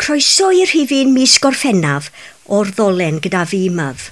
Croeso i'r rhifyn mis Gorffennaf o'r ddolen gyda fi myf.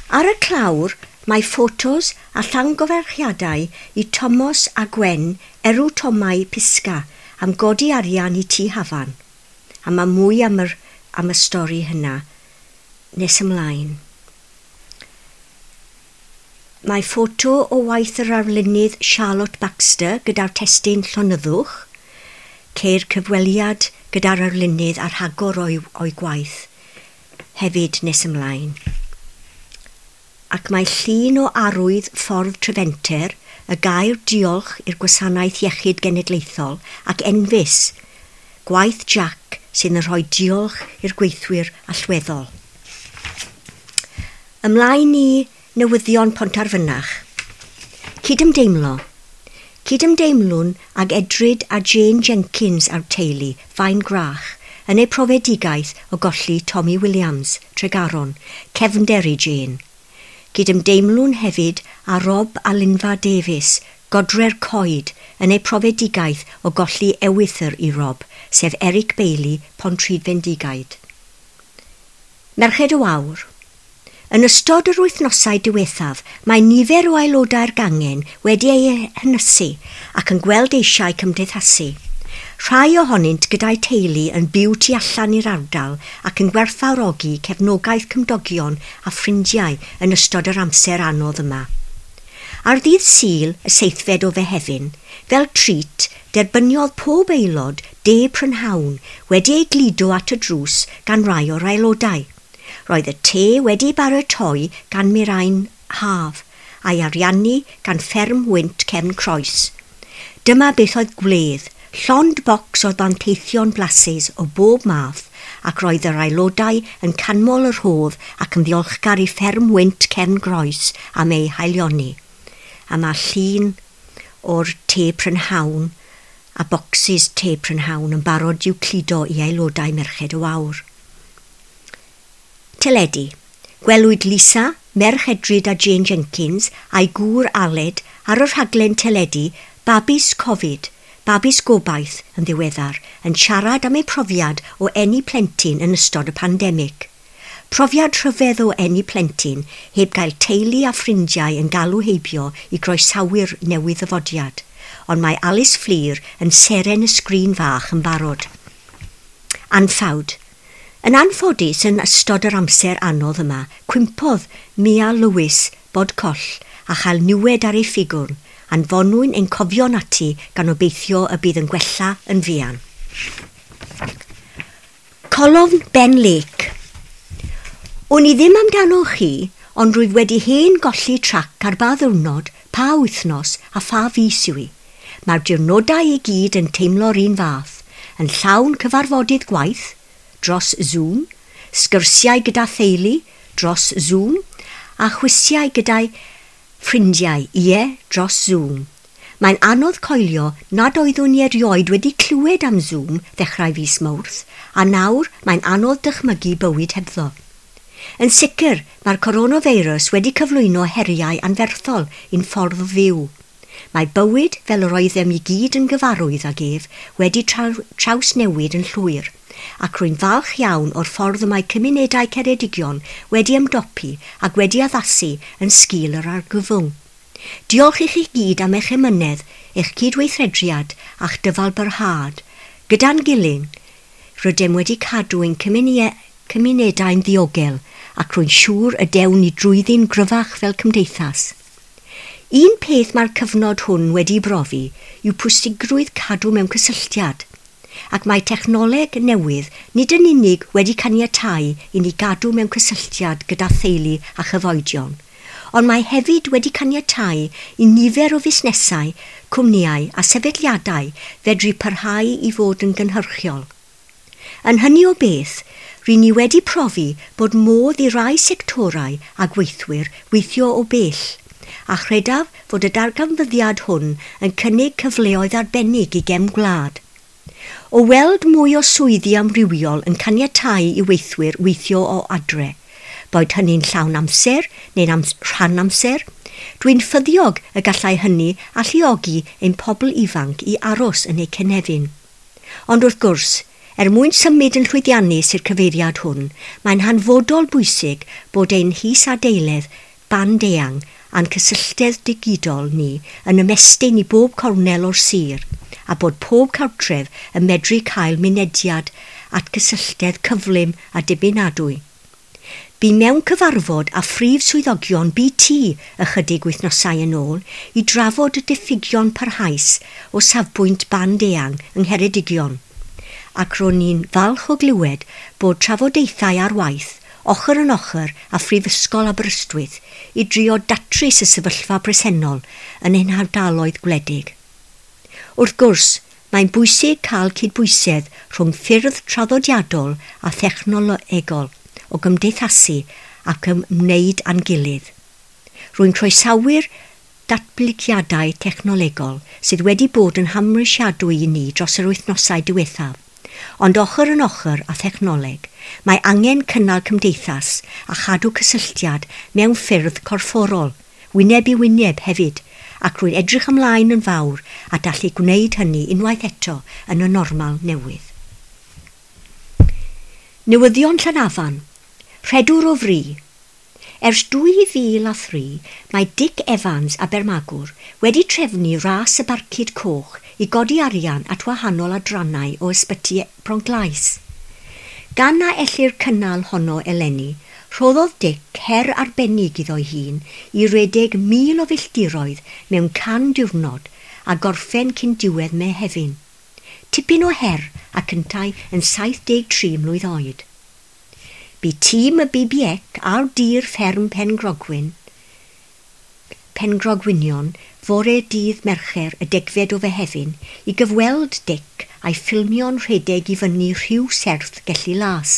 Ar y clawr mae ffotos a llangyfarchiadau i Tomos a Gwen Erw Tomau Pisga am godi arian i Tŷ Hafan. A mae mwy am, yr, am y stori hynna nes ymlaen. Mae ffoto o waith yr arlunydd Charlotte Baxter gyda'r testun Llonyddwch. Ceir cyfweliad gyda'r arlunydd a rhagor o'i, o'i gwaith hefyd nes ymlaen. Ac mae llun o arwydd ffordd Trefenter, y gair diolch i'r Gwasanaeth Iechyd Genedlaethol ac Enfys, gwaith Jack sydd yn rhoi diolch i'r gweithwyr allweddol. Ymlaen i newyddion Pontarfynach. Cydymdeimlo. Cydymdeimlwn ag Edryd a Jane Jenkins a'r teulu, Fain Grach, yn eu profedigaeth o golli Tommy Williams, Tregaron, cefnder i Jane. Cydymdeimlwn hefyd â Rob a Linfa Davies, Godre'r Coed, yn eu profedigaeth o golli ewythr i Rob, sef Eric Bailey, Pontrhydfendigaid. Merched y Wawr. Yn ystod yr wythnosau diwethaf, mae nifer o aelodau'r gangen wedi eu hynysu ac yn gweld eisiau cymdeithasu. Rhai ohonynt gyda'i teulu yn byw tu allan i'r ardal ac yn gwerthfawrogi cefnogaeth cymdogion a ffrindiau yn ystod yr amser anodd yma. Ar ddydd Sul, y seithfed o Fehefin, fel treat, derbyniodd pob aelod de prynhawn wedi ei gludo at y drws gan rai o'r aelodau. Roedd y te wedi baratoi gan Mirain Haf a'i ariannu gan fferm wynt Cefn Croes. Dyma beth oedd gwledd, llond bocs o ddanteithion blasus o bob math ac roedd yr aelodau yn canmol y rhodd ac yn ddiolchgar i fferm wynt Cefn Groes am ei haelioni. A mae llun o'r te prynhawn a bocsys te prynhawn yn barod i'w cludo i aelodau Merched y Wawr. Teledu. Gwelwyd Lisa, merch Edryd a Jane Jenkins a'i gŵr Aled ar y rhaglen teledu Babis Covid, Babis Gobaith yn ddiweddar, yn siarad am ei profiad o eni plentyn yn ystod y pandemig. Profiad rhyfedd o eni plentyn heb gael teulu a ffrindiau yn galw heibio i groesawu'r newydd ddyfodiad, ond mae Alice Fflur yn seren y sgrin fach yn barod. Anffawd. Yn anffodus yn ystod yr amser anodd yma, cwympodd Mia Lewis bod coll a chael niwed ar ei ffigwrn, anfonwyn ein cofion ati gan obeithio y bydd yn gwella yn fuan. Colofn Ben Lake. Wn i ddim amdano chi, ond rwyf wedi hen golli trac ar ba ddiwrnod, pa wythnos a pha fis yw i. Mae'r diwrnodau i gyd yn teimlo'r un fath, yn llawn cyfarfodydd gwaith, dros Zoom, sgyrsiau gyda theulu dros Zoom, a chwisiau gyda'i ffrindiau, ie, dros Zoom. Mae'n anodd coelio nad oeddwn i erioed wedi clywed am Zoom ddechrau fis Mawrth, a nawr mae'n anodd dychmygu bywyd hebddo. Yn sicr, mae'r coronavirus wedi cyflwyno heriau anferthol i'n ffordd o fyw. Mae bywyd, fel yr oeddem i gyd yn gyfarwydd ag ef, wedi trawsnewid yn llwyr, ac rwy'n falch iawn o'r ffordd y mae cymunedau Ceredigion wedi ymdopi ac wedi addasu yn sgil yr argyfwng. Diolch i chi gyd am eich emynedd, eich cydweithrediad a'ch dyfalbarhad. Gyda'n gilydd, rydym wedi cadw ein cymunedau'n ddiogel ac rwy'n siŵr y dewn ni drwyddi'n gryfach fel cymdeithas. Un peth mae'r cyfnod hwn wedi brofi yw pwysigrwydd cadw mewn cysylltiad, ac mae technoleg newydd nid yn unig wedi caniatáu i ni gadw mewn cysylltiad gyda theulu a chyfoedion, ond mae hefyd wedi caniatáu i nifer o fusnesau, cwmnïau a sefydliadau fedru parhau i fod yn gynhyrchiol. Yn hynny o beth, ry'n ni wedi profi bod modd i rai sectorau a gweithwyr weithio o bell, a chredaf fod y darganfyddiad hwn yn cynnig cyfleoedd arbennig i gefn gwlad. O weld mwy o swyddi amrywiol yn caniatáu i weithwyr weithio o adre, boed hynny'n llawn amser neu'n rhan amser, dwi'n ffyddiog y gallai hynny alluogi ein pobl ifanc i aros yn eu cynefin. Ond wrth gwrs, Er mwyn symud yn llwyddiannus i'r cyfeiriad hwn, mae'n hanfodol bwysig bod ein hisadeiledd band eang a'n cysylltedd digidol ni yn ymestyn i bob cornel o'r sir a bod pob cartref yn medru cael mynediad at gysylltedd cyflym a dibynadwy. Bu mewn cyfarfod â phrif swyddogion BT ychydig wythnosau yn ôl i drafod y diffygion parhaus o safbwynt band eang yng Ngheredigion, ac ro'n i'n falch o glywed bod trafodaethau ar waith ochr yn ochr â Phrifysgol Aberystwyth i drio datrys y sefyllfa bresennol yn ein hardaloedd gwledig. Wrth gwrs, mae'n bwysig cael cydbwysedd rhwng ffyrdd traddodiadol a thechnolegol o gymdeithasu ac ymwneud â'n gilydd. Rwy'n croesawu'r datblygiadau technolegol sydd wedi bod yn hamrwysiadwy i ni dros yr wythnosau diwethaf. Ond ochr yn ochr â thechnoleg, mae angen cynnal cymdeithas a chadw cysylltiad mewn ffyrdd corfforol, wyneb i wyneb hefyd, ac rwy'n edrych ymlaen yn fawr at allu gwneud hynny unwaith eto yn y normal newydd. Newyddion Llanafan. Rhedwr o fri. Ers 2003, mae Dic Evans Abermagwr wedi trefnu ras y Barcud Coch i godi arian at wahanol adrannau o ysbyty Bronglais. Gan na ellir cynnal honno eleni, rhoddodd Dic her arbennig iddo'i hun i redeg 1,000 o filltiroedd mewn 100 diwrnod a gorffen cyn diwedd Mehefin. Tipyn o her ac yntau yn 73 mlwydd oed. Bu tîm y BBEC ar dir fferm Pengrogwynion fore dydd Mercher y 10fed o Fehefin i gyfweld Dic a'i ffilmio'n rhedeg i fyny rhyw serth Gelli Las.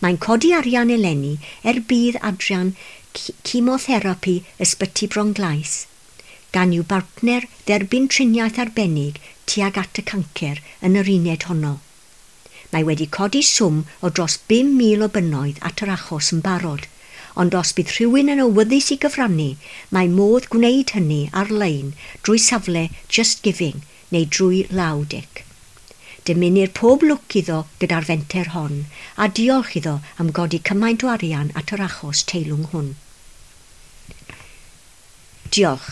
Mae'n codi arian eleni er budd adran chemotherapi ysbyty Bronglais, gan i'w bartner dderbyn triniaeth arbennig tuag at y cancer yn yr uned honno. Mae wedi codi swm o dros 5,000 o bunnoedd at yr achos yn barod, ond os bydd rhywun yn awyddus i gyfrannu, mae modd gwneud hynny ar-lein drwy safle Just Giving neu drwy law Dic. Dymunir pob lwc iddo gyda'r fenter hon, a diolch iddo am godi cymaint o arian at yr achos teilwng hwn. Diolch.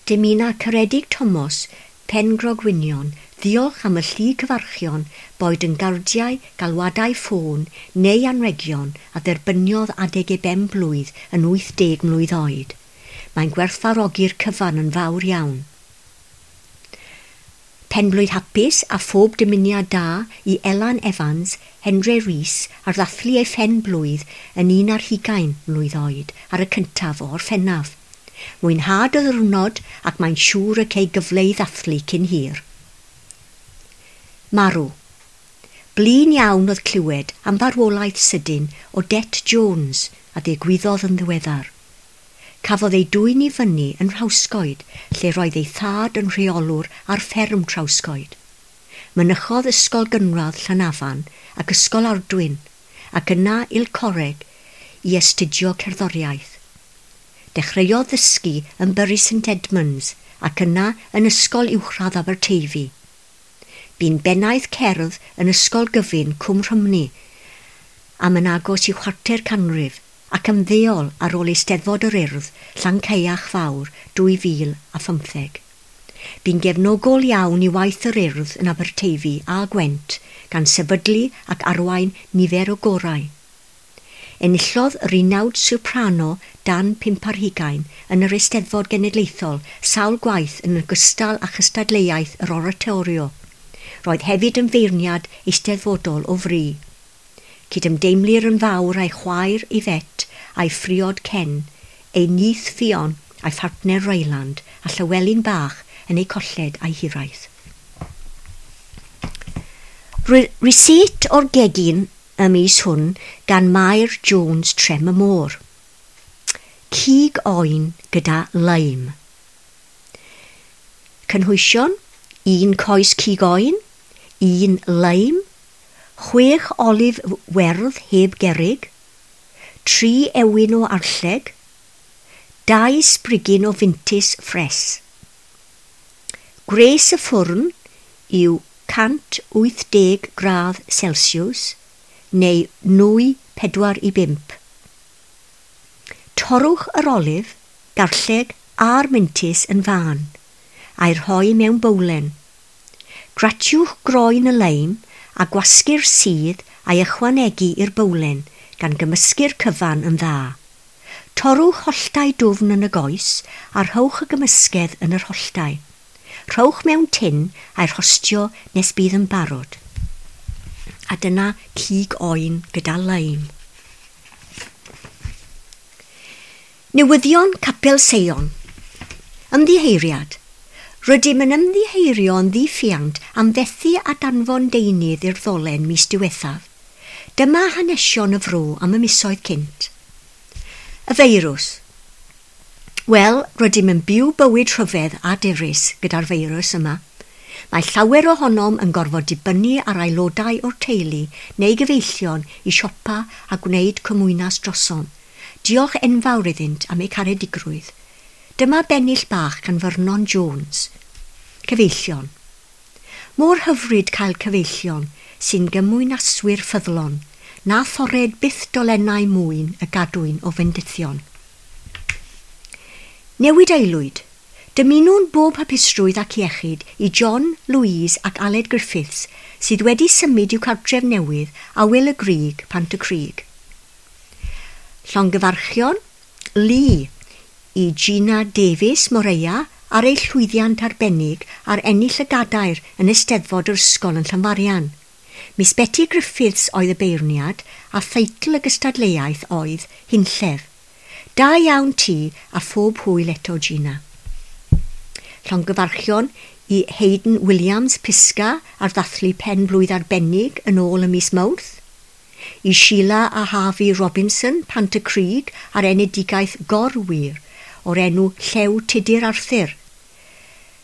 Dymuna Ceredig Thomas, Pengrogwynion, ddiolch am y llu cyfarchion, boed yn gardiau, galwadau ffôn neu anregion a dderbyniodd adeg ei ben blwydd yn 80 mlwydd oed. Mae'n gwerthfawrogi'r cyfan yn fawr iawn. Penblwydd hapus a phob dymuniad da i Elan Evans, Hendre Rees ar ddathlu ei phen blwydd yn 21 mlwydd oed ar y cyntaf o Orffennaf. Mwynhad y ddiwrnod ac mae'n siŵr y cei gyfle i ddathlu cyn hir. Marw. Blin iawn oedd clywed am farwolaeth sydyn Odette Jones a ddigwyddodd yn ddiweddar. Cafodd ei dwyn i fyny yn Nhrawsgoed, lle roedd ei thad yn rheolwr ar fferm Trawsgoed. Mynychodd Ysgol Gynradd Llanafan ac Ysgol Ardwyn, ac yna i'r Coleg i astudio cerddoriaeth. Dechreuodd ddysgu yn Bury St Edmunds ac yna yn Ysgol Uwchradd Aberteifi. Bu'n bennaeth cerdd yn Ysgol Gyfun Cwm Rhymni am yn agos i chwarter canrif ac ymddeol ar ôl Eisteddfod yr Urdd Llancaiach Fawr 2015. Bu'n gefnogol iawn i waith yr Urdd yn Aberteifi a Gwent gan sefydlu ac arwain nifer o gorau. Enillodd yr unawd soprano dan 25 yn yr Eisteddfod Genedlaethol sawl gwaith yn ogystal â chystadleuaeth yr oratorio. Roedd hefyd yn feirniad eisteddfodol o fri. Cydymdeimlir yn fawr â'i chwaer Yvette a'i phriod Ken, ei nith Ffion a'i phartner Ryland a Llywelyn Bach yn eu colled a'i hiraeth. Rysáit o'r gegin y mis hwn gan Mair Jones Trem y Môr. Cig oen gyda lime. Cynhwysion, 1 coes cig oen, 1 lime, 6 olif werdd heb gerrig, 3 ewin o arlleg, 2 sbrigyn o fintys ffres. Gwres y ffwrn yw 180 gradd Celsius neu nwy 4 i 5. Torrwch yr olif, garlleg a'r mintys yn fân, a'i rhoi mewn bowlen. Gratiwch groen y leim a gwasgu'r sudd a'i ychwanegu i'r bowlen gan gymysgu'r cyfan yn dda. Torrwch holltau dwfn yn y goes a rhowch y gymysgedd yn yr holltau. Rhowch mewn tin a'i rhostio nes bydd yn barod. A dyna cig oen gyda leim. Newyddion Capel Seion. Ymddiheiriad. Rydym yn ymddiheirio yn ddiffuant am fethu a danfon deunydd i'r ddolen mis diwethaf. Dyma hanesion y fro am y misoedd cynt. Y feirws. Wel, rydym yn byw bywyd rhyfedd a dirys gyda'r feirws yma. Mae llawer ohonom yn gorfod dibynnu ar aelodau o'r teulu neu gyfeillion i siopa a gwneud cymwynas drosom. Diolch enfawr iddynt am eu caredigrwydd. Dyma bennill bach gan Vernon Jones. Cyfeillion. Mor hyfryd cael cyfeillion sy'n gymwynaswyr ffyddlon, na thored byth dolennau mwyn y gadwyn o fendithion. Newid aelwyd. Dymunwn bob hapusrwydd ac iechyd i John, Louise ac Aled Griffiths sydd wedi symud i'w cartref newydd a Wil y Grug, Pant y Crug. Llongyfarchion, Lee i Gina Davies Moreia ar ei llwyddiant arbennig ar ennill y gadair yn Eisteddfod yr ysgol yn Llanfarian. Miss Betty Griffiths oedd y beirniad a theitl y gystadleuaeth oedd Hunllef. Da iawn ti a phob hwyl eto Gina. Llongyfarchion i Hayden Williams Pisga ar ddathlu pen blwydd arbennig yn ôl y mis Mawrth. I Sheila a Harvey Robinson, Pant y Crug ar enedigaeth gorwyr o'r enw Llew Tudur Arthur,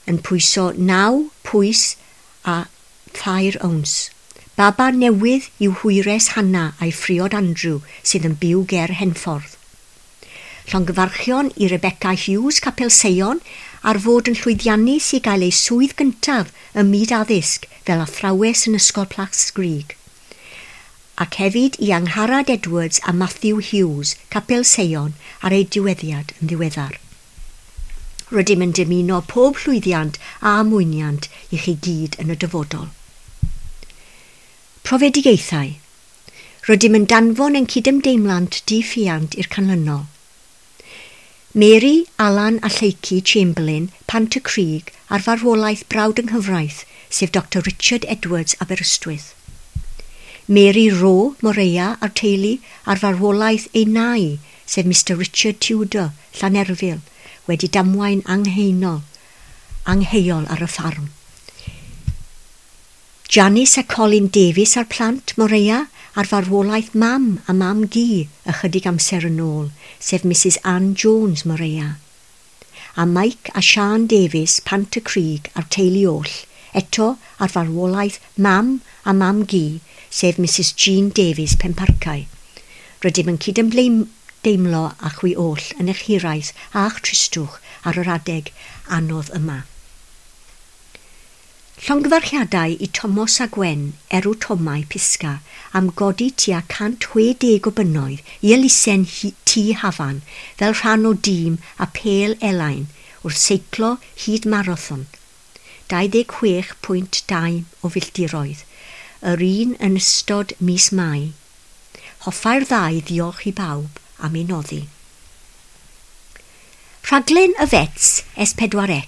yn pwyso 9 pwys a 3 owns. Baba newydd yw hwyres Hanna a'i phriod Andrew sydd yn byw ger Henffordd. Llongyfarchion i Rebecca Hughes Capel Seion ar fod yn llwyddiannus i gael ei swydd gyntaf ym myd addysg fel athrawes yn Ysgol Plascrug. Ac hefyd i Angharad Edwards a Matthew Hughes, Capel Seion, ar ei diweddiad yn ddiweddar. Rydym yn dymuno pob llwyddiant a mwyniant i chi gyd yn y dyfodol. Profedigaethau. Rydym yn danfon ein cydymdeimlant diffuant i'r canlynol. Mary, Alan a Lleucu Chamberlain, Pant y Crug, ar farwolaeth brawd yng nghyfraith, sef Dr Richard Edwards Aberystwyth. Mary Rowe, Moreia a'r teulu ar farwolaeth ei nai, sef Mr Richard Tudor, Llanerfyl, wedi damwain angheuol ar y ffarm. Janice a Colin Davies a'r plant Moreia ar farwolaeth mam a mam gu ychydig amser yn ôl, sef Mrs Ann Jones Moreia. A Mike a Sian Davies, Pant y Crug a'r teulu oll, eto ar farwolaeth mam a mam gu, sef Mrs Jean Davies Penparcau. Rydym yn cydymdeimlo â chwi oll yn eich hiraeth a'ch tristwch ar yr adeg anodd yma. Llongyfarchiadau i Tomos a Gwen, Erw Tomau Pisga, am godi tua 160 o bunnoedd i elusen Tŷ Hafan fel rhan o dîm a Pêl Elain wrth seiclo hyd marathon, 26.2 o filltiroedd, yr un yn ystod mis Mai. Hoffai'r ddau ddiolch i bawb am ei noddi. Rhaglen y Fets S4C.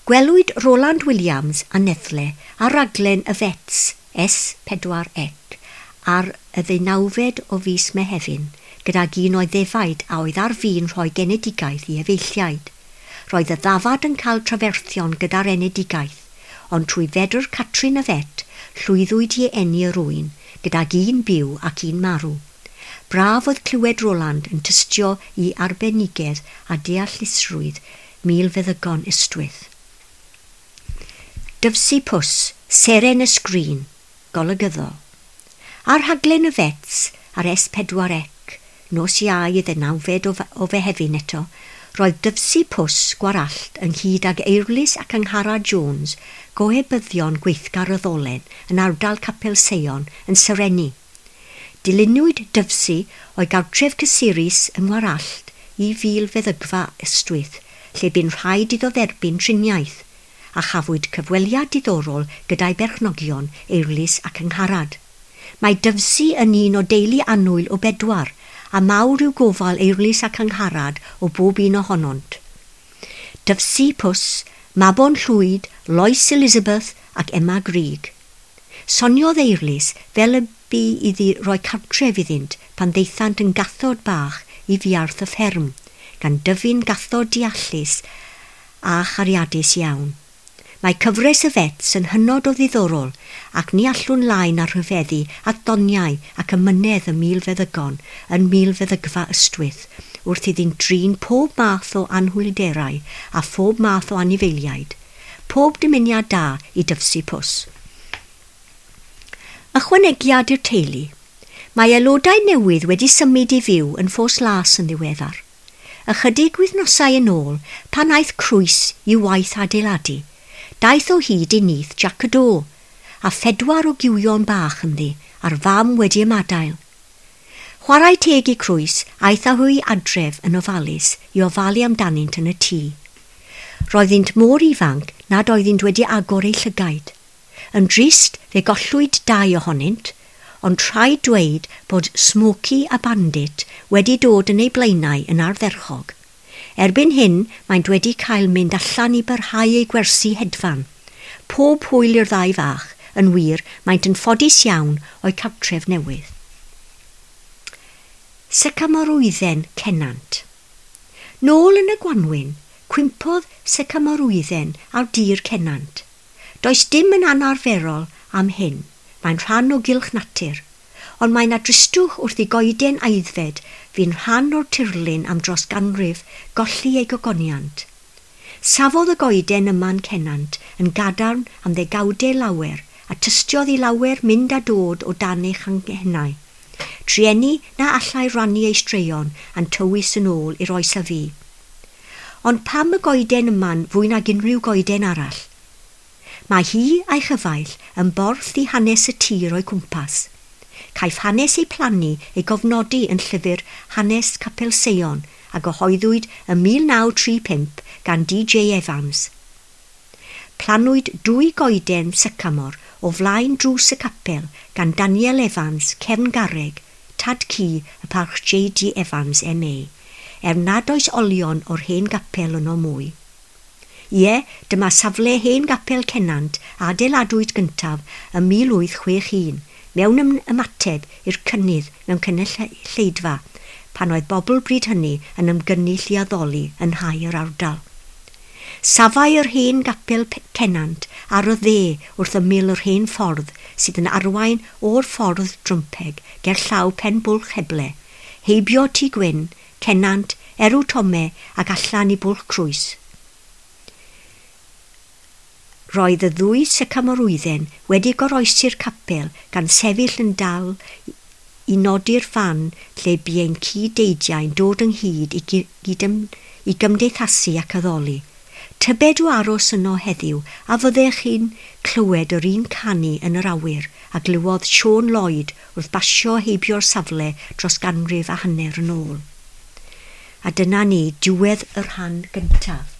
Gwelwyd Roland Williams a Nethle ar raglen y Fets S4C ar y 19fed o fis Mehefin gydag un o'i ddefaid a oedd ar fin rhoi genedigaeth i efeilliaid. Roedd y ddafad yn cael traferthion gyda'r enedigaeth, ond trwy fedr Catrin y Fet llwyddwyd i eni yr ŵyn gydag un byw ac un marw. Braf oedd clywed Roland yn tystio i arbenigedd a deallusrwydd milfeddygon Ystwyth. Dyfsi Pws, Seren y Sgrin, golygyddol. Ar rhaglen y Fets ar S4C, nos Iau y 19fed o Fehefin eto, Roedd Dyfsi Pws Gwarallt ynghyd ag Eirlys ac Angharad Jones, gohebyddion gweithgar y ddolen yn ardal Capel Seion yn serennu. Dilynwyd Dyfsi o'i gartref cysurus yng Ngwarallt i fil feddygfa Ystwyth, lle bu'n rhaid iddo dderbyn triniaeth, a chafwyd cyfweliad diddorol gyda'i berchnogion Eirlys ac Angharad. Mae Dyfsi yn un o deulu annwyl o bedwar, a mawr yw gofal Eirlys ac Angharad o bob un ohonont. Dyfsi Pws, Mabon Llwyd, Lois Elizabeth ac Emma Grug. Soniodd Eirlys fel y bu iddi roi cartref iddynt pan ddaethant yn gathod bach i fuarth y fferm, gan dyfu'n gathod deallus a chariadus iawn. Mae cyfres y Fets yn hynod o ddiddorol ac ni allwn lai na rhyfeddu at ddoniau ac amynedd y milfeddygon yn milfeddygfa Ystwyth wrth iddynt drin pob math o anhwylderau a phob math o anifeiliaid. Pob dymuniad da i Dyfsi Pws. Ychwanegiad i'r teulu. Mae aelodau newydd wedi symud i fyw yn Ffos Las yn ddiweddar. Ychydig wythnosau yn ôl, pan aeth Crwys i'w waith adeiladu, daeth o hyd i nyth Jac y Do, a phedwar o gywion bach ynddi, a'r fam wedi ymadael. Chwarae teg i Crwys, aeth â hwy adref yn ofalus i ofalu amdanynt yn y tŷ. Roeddynt mor ifanc nad oeddynt wedi agor eu llygaid. Yn drist, fe gollwyd dau ohonynt, ond rhaid dweud bod Smokey a Bandit wedi dod yn eu blaenau yn ardderchog. Erbyn hyn, maent wedi cael mynd allan i barhau eu gwersi hedfan. Pob hwyl i'r ddau fach, yn wir, maent yn ffodus iawn o'u cartref newydd. Sycamorwydden Cenant. Nôl yn y gwanwyn, cwympodd sycamorwydden ar dir Cenant. Does dim yn anarferol am hyn, mae'n rhan o gylch natur, ond mae 'na dristwch wrth i goeden aeddfed fu'n rhan o'r tirlun am dros ganrif golli ei gogoniant. Safodd y goeden yma'n Cenant yn gadarn am ddegawdau lawer a tystiodd i lawer mynd a dod o dan ei changhennau. Trueni na allai rannu ei straeon a'n tywys yn ôl i'r oes a fu. Ond pam y goeden yma'n fwy nag unrhyw goeden arall? Mae hi a'i chyfaill yn borth i hanes y tir o'i cwmpas. Caiff hanes ei phlannu ei gofnodi yn llyfr Hanes Capel Seion a gyhoeddwyd ym 1935 gan D.J. Evans. Plannwyd dwy goeden sycamor o flaen drws y capel gan Daniel Evans, Cefn Garreg, tad cu y parch J.D. Evans M.A., er nad oes olion o'r hen gapel yno mwy. Ie, dyma safle hen gapel Cenant a adeiladwyd gyntaf ym 1861, mewn ymateb i'r cynnydd mewn cynulleidfa, pan oedd bobl bryd hynny yn ymgynnull i addoli yn nhai yr ardal. Safai yr hen gapel Cenant ar y dde wrth ymyl yr hen ffordd sydd yn arwain o'r ffordd Drwmpeg ger llaw Pen Bwlch Heble, heibio Tŷ Gwyn, Cenant, Erw Tome ac allan i Bwlch Crwys. Roedd y ddwy sycamorwydden wedi goroesi'r capel gan sefyll yn dal i nodi'r fan lle bu ein cyd-deidiau'n dod ynghyd i, i gymdeithasu ac addoli. Tybed o aros yno heddiw a fyddech chi'n clywed yr un canu yn yr awyr a glywodd Siôn Lloyd wrth basio heibio'r safle dros ganrif a hanner yn ôl. A dyna ni, diwedd y rhan gyntaf.